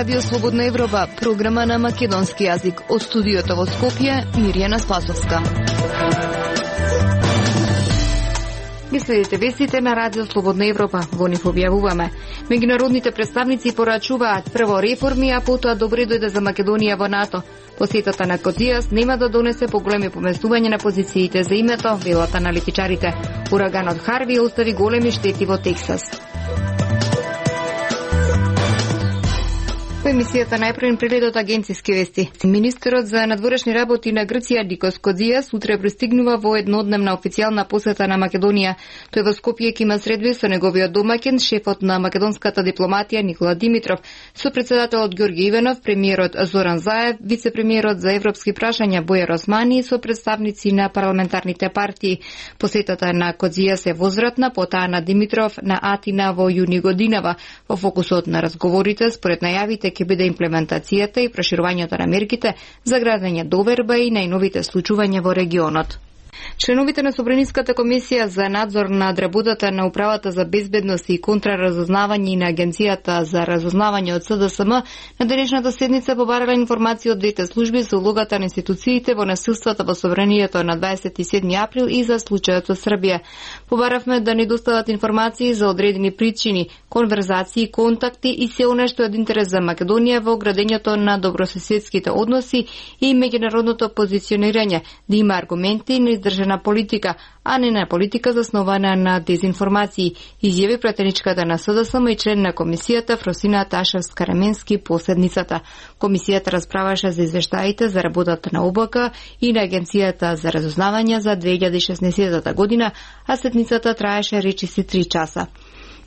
Радио Слободна Европа, програма на македонски јазик. Од студиото во Скопје, Мирјана Спасовска. Ги следите вестите на Радио Слободна Европа. Во нив објавуваме. Меѓународните представници порачуваат прво реформи, а потоа добре дојде за Македонија во НАТО. Посетата на Кодијас нема да донесе поголеми поместување на позициите за името, велат аналитичарите. Ураганот Харви остави големи штети во Тексас. Во емисијата најпрвен преглед агенциски вести. Министерот за надворешни работи на Грција Никос Кодијас утре пристигнува во еднодневна официјална посета на Македонија. Тој во Скопје ќе има средби со неговиот домаќин, шефот на македонската дипломатија Никола Димитров, со председателот Ѓорѓе Иванов, премиерот Зоран Заев, вице-премиерот за европски прашања Бојар Османи и со представници на парламентарните партии. Посетата на Кодијас е возвратна, потаа на Димитров на Атина во јуни годинава. Во фокусот на разговорите, според најавите, ќе биде имплементацијата и проширувањето на мерките за градење доверба и најновите случувања во регионот. Членовите на Собраниската комисија за надзор над работата на Управата за безбедност и контраразузнавање и на Агенцијата за разузнавање од СДСМ на денешната седница побарале информација од двете служби за улогата на институциите во насилствата во собранието на 27 април и за случајот со Србија. Побаравме да ни достават информации за одредени причини, конверзации, контакти и се она што е од интерес за Македонија во градењето на добрососедските односи и меѓународното позиционирање, да има аргументи на издржана политика, а не на политика заснована на дезинформации, изјави пратеничката на СДСМ и член на комисијата Фросина Ташевска-Раменски по седницата. Комисијата расправаше за извештаите за работата на ОБК и на Агенцијата за разузнавање за 2016 година, а седницата траеше речиси 3 часа.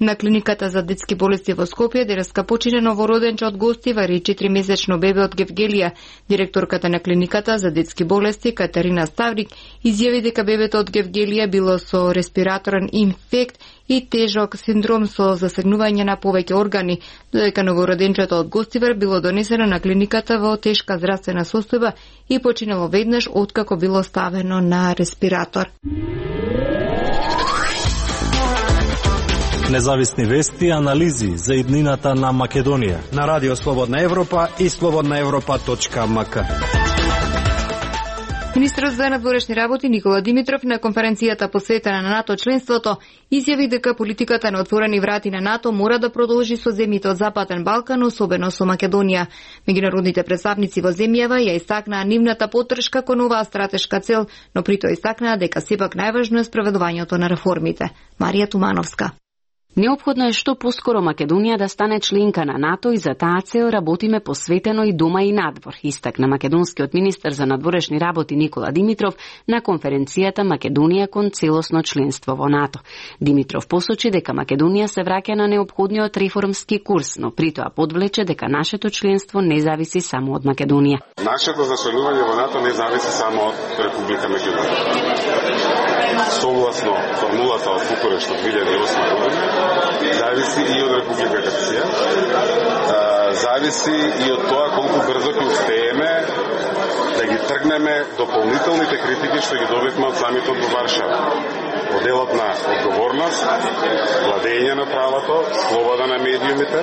На клиниката за детски болести во Скопје денеска почина новороденче од гостива, 4-месечно бебе од Гевгелија. Директорката на клиниката за детски болести Катерина Ставрик изјави дека бебето од Гевгелија било со респираторен инфект и тежок синдром со засегнување на повеќе органи, додека новороденчето од Гостивар било донесено на клиниката во тешка здравствена состојба и починало веднаш откако било ставено на респиратор. Независни вести и анализи за иднината на Македонија на Радио Слободна Европа и slobodnaevropa.mk. Министерот за надворешни работи Никола Димитров на конференцијата посветена на НАТО членството изјави дека политиката на отворени врати на НАТО мора да продолжи со земјите од Западен Балкан, особено со Македонија. Меѓународните представници во земјава ја истакнаа нивната поддршка кон оваа стратешка цел, но при тоа истакнаа дека сепак најважно е спроведувањето на реформите. Марија Тумановска. Неопходно е што поскоро Македонија да стане членка на НАТО и за таа цел работиме посветено и дома и надвор, истакна македонскиот министер за надворешни работи Никола Димитров на конференцијата Македонија кон целосно членство во НАТО. Димитров посочи дека Македонија се враќа на неопходниот реформски курс, но при тоа подвлече дека нашето членство не зависи само од Македонија. Нашето зачленување во НАТО не зависи само од Република Македонија. Согласно формулата од Букурешт од 2008 година, зависи и од Република Грција, зависи и од тоа колку брзо ќе успееме да ги тргнеме дополнителните критики што ги добивме од самитот во Варшава. Во делот на одговорност, владење на правото, слобода на медиумите,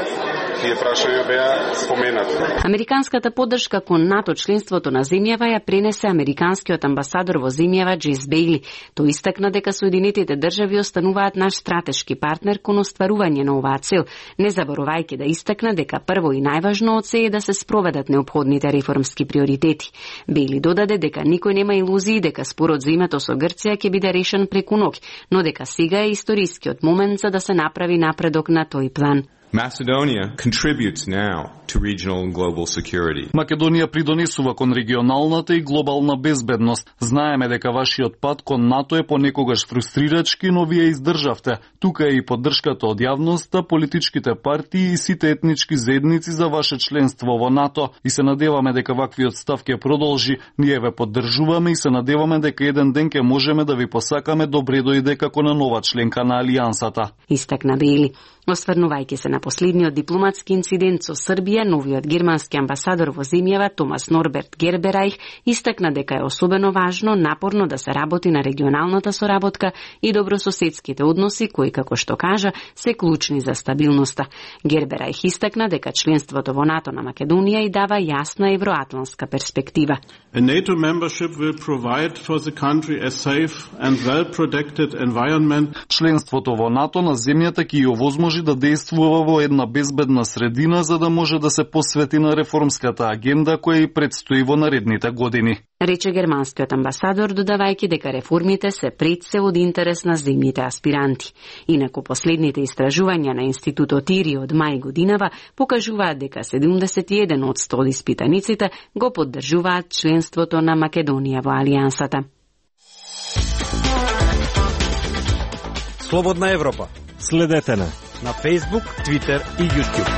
тие прашања беа споменати. Американската поддршка кон НАТО членството на земјава ја пренесе американскиот амбасадор во земјава Джейс Бейли. Тој истакна дека Соединетите држави остануваат наш стратешки партнер кон остварување на оваа цел, не заборавајќи да истакна дека прво и најважно од се е да се спроведат неопходните реформски приоритети. Бейли додаде дека никој нема илузии дека спорот за името со Грција ќе биде решен преку ноќ, но дека сега е историскиот момент за да се направи напредок на тој план. Macedonia contributes now to regional and global security. Македонија придонесува кон регионалната и глобална безбедност. Знаеме дека вашиот пат кон НАТО е понекогаш фрустрирачки, но вие издржавте. Тука е и поддршката од јавноста, политичките партии и сите етнички заедници за ваше членство во НАТО и се надеваме дека ваквиот став ќе продолжи. Ние ве поддржуваме и се надеваме дека еден ден ќе можеме да ви посакаме добре дојде како на нова членка на алијансата. Истакна Бейли. Осврнувајќи се на последниот дипломатски инцидент со Србија, новиот германски амбасадор во земјава Томас Норберт Герберајх истакна дека е особено важно напорно да се работи на регионалната соработка и добрососедските односи кои, како што кажа, се клучни за стабилноста. Герберајх истакна дека членството во НАТО на Македонија и дава јасна евроатлантска перспектива. A NATO membership will provide for the country a safe and well-protected environment. Членството во НАТО на земјата ќе ја овозможи да действува во една безбедна средина за да може да се посвети на реформската агенда која и предстои во наредните години. Рече германскиот амбасадор, додавајќи дека реформите се пред се од интерес на земјите аспиранти. Инаку последните истражувања на Институтот ИРИ од мај годинава покажуваат дека 71% од испитаниците го поддржуваат членството на Македонија во Алијансата. Слободна Европа. Следете на Facebook, Twitter и YouTube.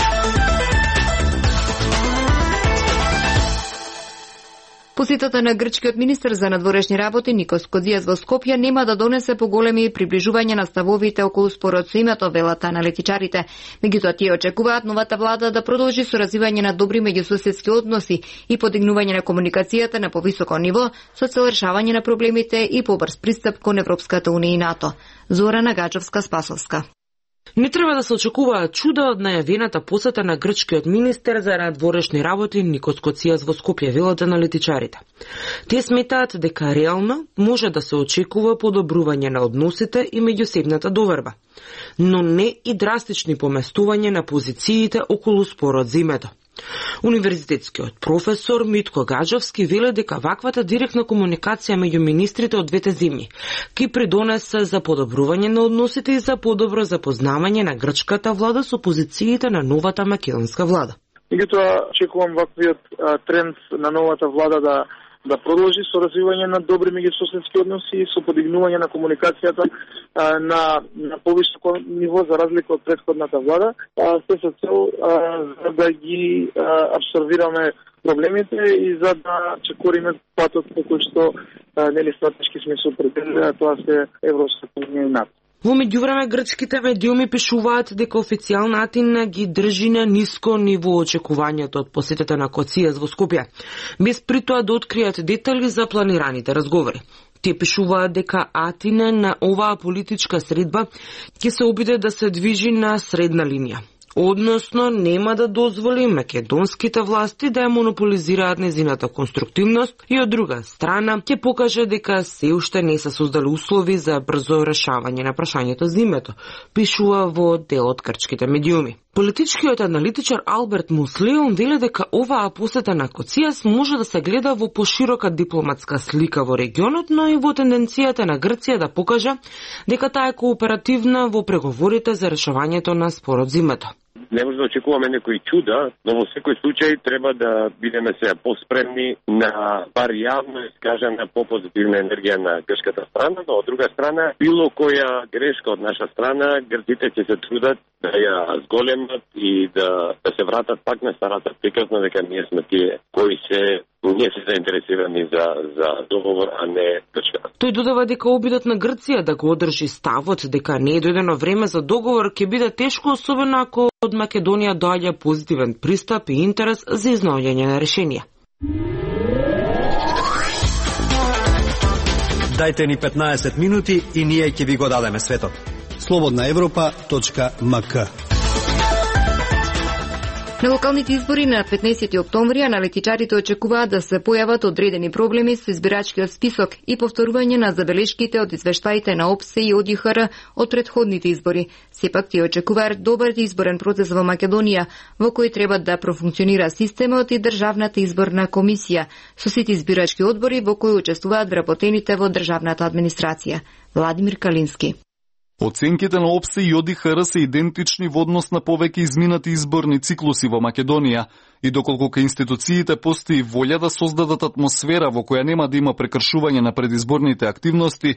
Посетата на грчкиот министер за надворешни работи Никос Кодзијас во Скопје нема да донесе поголеми приближување на ставовите околу спорот со името, велат аналитичарите. Меѓутоа тие очекуваат новата влада да продолжи со развивање на добри меѓусоседски односи и подигнување на комуникацијата на повисоко ниво со цел решавање на проблемите и побрз пристап кон Европската унија и НАТО. Зорана Гаџовска-Спасовска. Не треба да се очекуваат чуда од најавената посета на грчкиот министер за надворешни работи Никос Кодзијас во Скопје, велат аналитичарите. Тие сметаат дека реално може да се очекува подобрување на односите и меѓусебната доверба, но не и драстични поместување на позициите околу спорот за името. Универзитетскиот професор Митко Гаџовски веле дека ваквата директна комуникација меѓу министрите од двете земји ќе придонесе за подобрување на односите и за подобро запознавање на грчката влада со позициите на новата македонска влада. Меѓутоа, очекувам ваквиот тренд на новата влада да продолжи со развивање на добри меѓусоседски односи и со подигнување на комуникацијата на повисоко ниво за разлика од претходната влада, се со цел да ги абсорбираме проблемите и за да чекориме патот по кој што нели стратешки сме се определили, а тоа се Европската унија и НАТО. Во меѓувреме грчките медиуми пишуваат дека официјална Атина ги држи на ниско ниво очекувањето од посетата на Кодзијас во Скопје, без притоа да откријат детали за планираните разговори. Тие пишуваат дека Атина на оваа политичка средба ќе се обиде да се движи на средна линија. Односно, нема да дозволи македонските власти да ја монополизираат незината конструктивност и од друга страна ќе покаже дека се уште не се создали услови за брзо решавање на прашањето за името, пишува во дел од грчките медиуми. Политичкиот аналитичар Алберт Муслеон веле дека оваа посета на Кодзијас може да се гледа во поширока дипломатска слика во регионот, но и во тенденцијата на Грција да покаже дека таа е кооперативна во преговорите за решавањето на спорот за името. Не може да очекуваме некои чуда, но во секој случај треба да бидеме сега поспремни на бар јавно искажана попозитивна енергија на грчката страна, но од друга страна, било која грешка од наша страна, грците ќе се трудат да ја зголемат и да се вратат пак на старата приказна дека ние сме тие кои не се заинтересирани за договор, а не Грчка. Тој додава дека обидот на Грција да го одржи ставот дека не е дојдено време за договор ќе биде тешко, особено ако од Македонија доаѓа позитивен пристап и интерес за изнаоѓање на решенија. Дајте ни 15 минути и ние ќе ви го дадеме светот. slobodnaevropa.mk. На локалните избори на 15 октомври аналитичарите очекуваат да се појават одредени проблеми со избирачкиот список и повторување на забелешките од извештаите на ОПСЕ и ОДИХР од претходните избори. Сепак тие очекуваат добар изборен процес во Македонија, во кој треба да профункционира системот и државната изборна комисија, со сите избирачки одбори во кои учествуваат вработените во државната администрација. Владимир Калински. Оценките на ОПСЕ и ОДИХР се идентични во однос на повеќе изминати изборни циклуси во Македонија и доколку кај институциите постои волја да создадат атмосфера во која нема да има прекршување на предизборните активности,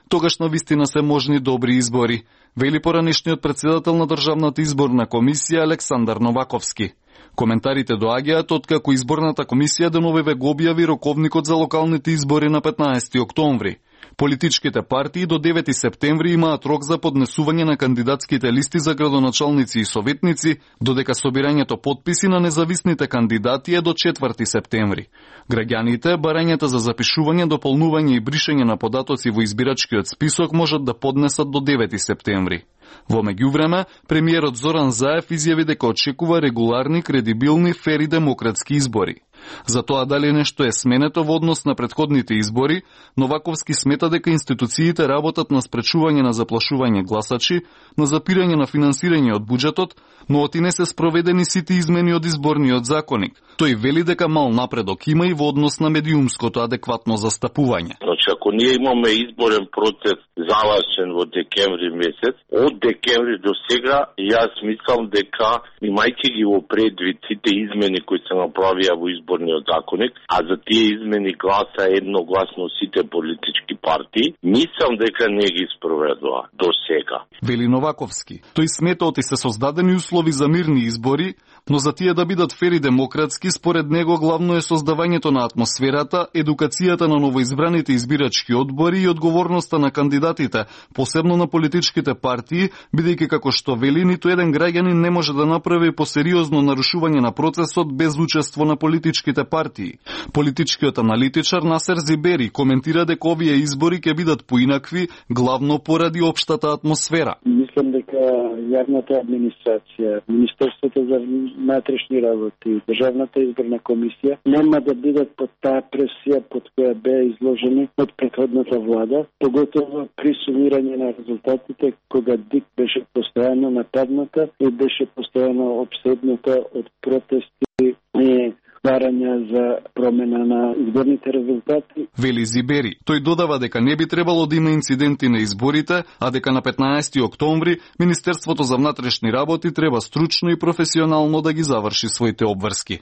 тогаш навистина се можни добри избори, вели поранешниот председател на Државната изборна комисија Александар Новаковски. Коментарите доаѓаат откако изборната комисија деновиве го објави роковникот за локалните избори на 15 октомври. Политичките партии до 9 септември имаат рок за поднесување на кандидатските листи за градоначалници и советници, додека собирањето потписи на независните кандидати е до 4 септември. Граѓаните барањата за запишување, дополнување и бришење на податоци во избирачкиот список можат да поднесат до 9 септември. Во меѓувреме, премиерот Зоран Заев изјави дека очекува регуларни, кредибилни, фер и демократски избори. За тоа дали нешто е сменето во однос на претходните избори, Новаковски смета дека институциите работат на спречување на заплашување гласачи, на запирање на финансирање од буџетот, но оти не се спроведени сите измени од изборниот законник. Тој вели дека мал напредок има и во однос на медиумското адекватно застапување. Значи, ако ние имаме изборен процес завршен во декември месец, од декември до сега, јас мислам дека, имајќи ги во предвид сите измени кои се направија во изборниот законник, а за тие измени гласа едногласно сите политички партии, мислам дека не ги спроведува до сега. Вели Новаковски. Тој смета оти се создадени услови за мирни избори, но за тие да бидат фер и демократски, според него главно е создавањето на атмосферата, едукацијата на новоизбраните избирачки одбори и одговорноста на кандидатите, посебно на политичките партии, бидејќи како што вели, ниту еден граѓанин не може да направи посериозно нарушување на процесот без учество на политичките партии. Политичкиот аналитичар Насер Зибери коментира дека овие избори ќе бидат поинакви, главно поради општата атмосфера. Мислам дека јавната администрација, Министерството за внатрешни работи, Државната изборна комисија нема да бидат под таа пресија под која беа изложени од претходната влада, поготово при сумирање на резултатите кога ДИК беше постојано нападната и беше постојано обседната од протести и барања за промена на изборните резултати. Вели Зибери. Тој додава дека не би требало да има инциденти на изборите, а дека на 15 октомври Министерството за внатрешни работи треба стручно и професионално да ги заврши своите обврски.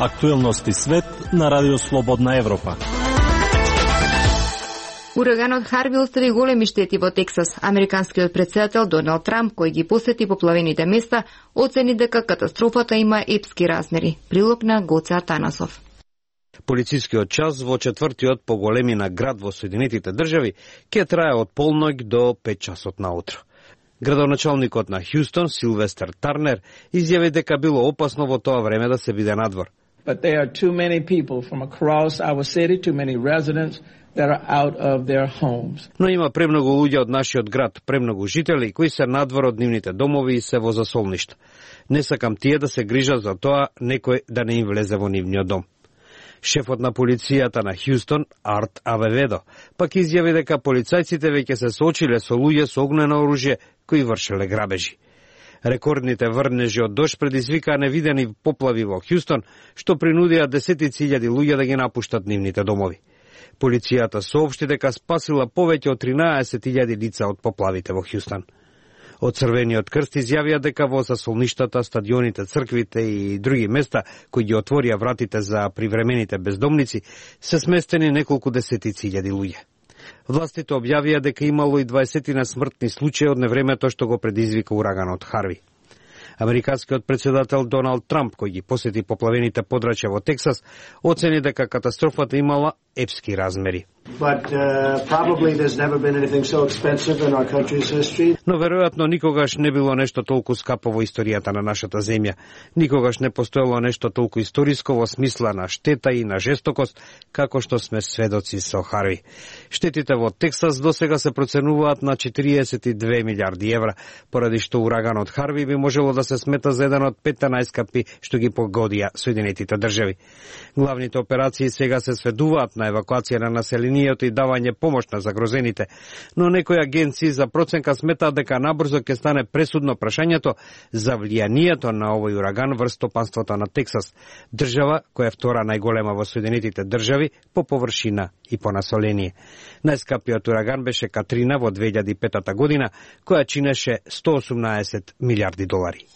Актуелности свет на Радио Слободна Европа. Ураганот Харви остави големи штети во Тексас. Американскиот претседател Доналд Трамп, кој ги посети поплавените места, оцени дека катастрофата има епски размери. Прилог на Гоце Атанасов. Полицискиот час во четвртиот по големина град во Соединетите држави ќе трае од полноќ до 5 часот наутро. Градоначалникот на Хјустон, Силвестер Тарнер, изјави дека било опасно во тоа време да се биде надвор. But there are too many people from across our city, too many residents that are out of their homes. Но има премногу луѓе од нашиот град, премногу жители кои се надвор од нивните домови и се во засолништа. Не сакам тие да се грижат за тоа некој да не им влезе во нивниот дом. Шефот на полицијата на Хјустон, Арт Авеведо, пак изјави дека полицајците веќе се соочиле со луѓе со огнено оружје кои вршеле грабежи. Рекордните врнежи од дожд предизвикаа невидени поплави во Хјустон, што принудија десетици илјади луѓе да ги напуштат нивните домови. Полицијата соопшти дека спасила повеќе од 13.000 лица од поплавите во Хјустон. Од Црвениот крст изјавија дека во засолништата, стадионите, црквите и други места кои ги отворија вратите за привремените бездомници се сместени неколку десетици илјади луѓе. Властите објавија дека имало и 20 смртни случаи од невремето што го предизвика ураганот Харви. Американскиот претседател Доналд Трамп, кој ги посети поплавените подрачја во Тексас, оцени дека катастрофата имала епски размери. Но веројатно никогаш не било нешто толку скапо во историјата на нашата земја. Никогаш не постоело нешто толку историско во смисла на штета и на жестокост, како што сме сведоци со Харви. Штетите во Тексас досега се проценуваат на 42 милиарди евра, поради што ураганот Харви би можело да се смета за еден од 5 најскапи што ги погодија Соединетите држави. Главните операции сега се сведуваат на евакуација на населението и давање помош на загрозените, но некои агенции за проценка сметаат дека набрзо ќе стане пресудно прашањето за влијанието на овој ураган врз стопанството на Тексас, држава која е втора најголема во Соединетите држави по површина и по население. Најскапиот ураган беше Катрина во 2005 година, која чинеше 118 милиарди долари.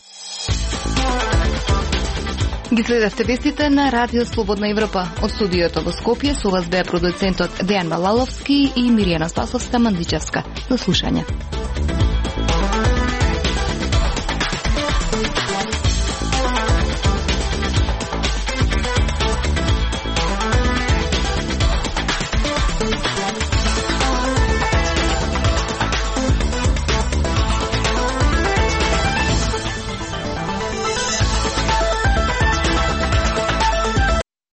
Ги следевте вестите на Радио Слободна Европа. Од студиото во Скопје со вас беа продуцентот Дејан Малаловски и Миријана Спасовска Мандичевска. До слушање.